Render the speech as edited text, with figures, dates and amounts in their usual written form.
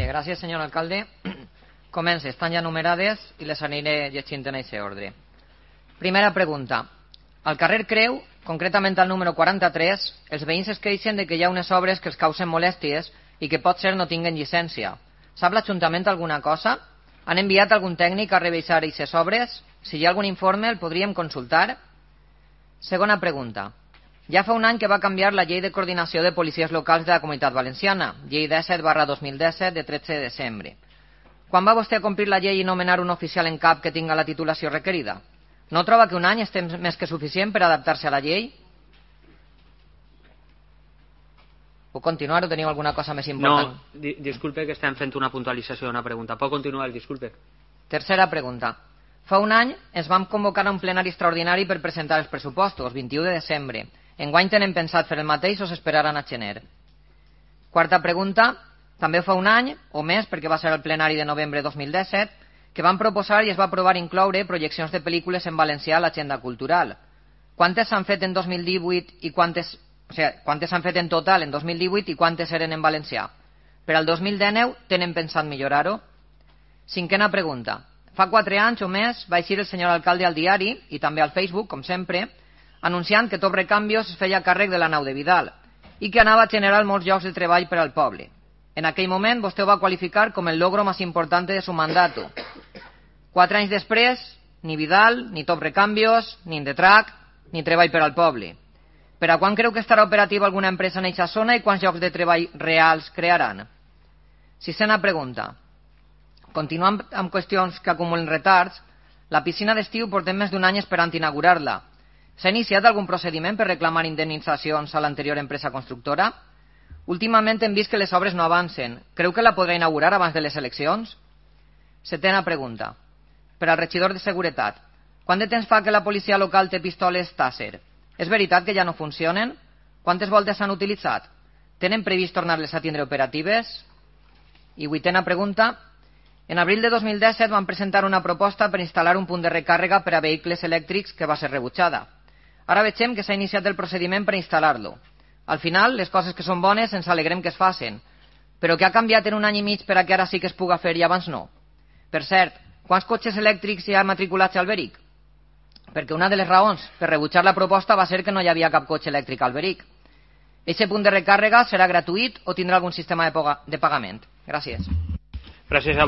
Bé, gràcies, senyor alcalde. Comença, estan ja numerades i les aniré llegint en aquest ordre. Primera pregunta. Al carrer Creu, concretament al número 43, els veïns es queixen de que hi ha unes obres que els causen molèsties i que pot ser no tinguen llicència. Sap l'Ajuntament alguna cosa? Han enviat algun tècnic a revisar aquestes obres? Si hi ha algun informe, el podríem consultar? Segona pregunta. Ja fa un any que va canviar la llei de coordinació de policies locals de la Comunitat Valenciana, llei 17/2017 de 13 de desembre. Quan va vostè a complir la llei i nomenar un oficial en cap que tinga la titulació requerida? No troba que un any és temps més que suficient per adaptar-se a la llei? Puc continuar o teniu alguna cosa més important? No, disculpe que estem fent una puntualització d'una pregunta. Pot continuar, disculpe. Tercera pregunta. Fa un any ens vam convocar a un plenari extraordinari per presentar els pressupostos, 21 de desembre. Enguany tenen pensat fer el mateix o s'esperaran a gener? Quarta pregunta. També fa un any, o més, perquè va ser el plenari de novembre de 2017, que van proposar i es va aprovar incloure projeccions de pel·lícules en valencià a l'agenda cultural. Quantes s'han fet en 2018 i quantes s'han fet en total en 2018 i quantes eren en valencià? Per al 2019 tenen pensat millorar-ho? Cinquena pregunta. Fa 4 anys o més va eixir el senyor alcalde al diari i també al Facebook, com sempre, anunciant que Top Recambios es feia càrrec de la nau de Vidal i que anava a generar molts llocs de treball per al poble. En aquell moment vostè ho va qualificar com el logro més important de su mandato. 4 anys després, ni Vidal, ni Top Recambios, ni Indetrac, ni treball per al poble. Per a quan creu que estarà operativa alguna empresa en aquesta zona i quants llocs de treball reals crearan? Sisena pregunta. Continuant amb qüestions que acumulen retards, la piscina d'estiu portem més d'un any esperant inaugurar-la. S'ha iniciat algun procediment per reclamar indemnitzacions a l'anterior empresa constructora? Últimament hem vist que les obres no avancen. Creu que la podrà inaugurar abans de les eleccions? Setena pregunta. Per al regidor de Seguretat. Quant de temps fa que la policia local té pistoles Taser? És veritat que ja no funcionen? Quantes voltes s'han utilitzat? Tenen previst tornar-les a tindre operatives? I vuitena pregunta. En abril de 2017 van presentar una proposta per instal·lar un punt de recàrrega per a vehicles elèctrics que va ser rebutjada. Ara veiem que s'ha iniciat el procediment per instal·lar-lo. Al final, les coses que són bones ens alegrem que es facin. Però què ha canviat en un any i mig per a que ara sí que es puga fer i abans no? Per cert, quants cotxes elèctrics hi ha matriculats al Alberic? Perquè una de les raons per rebutjar la proposta va ser que no hi havia cap cotxe elèctric al Alberic. Aquest punt de recàrrega serà gratuït o tindrà algun sistema de pagament? Gràcies. Gràcies a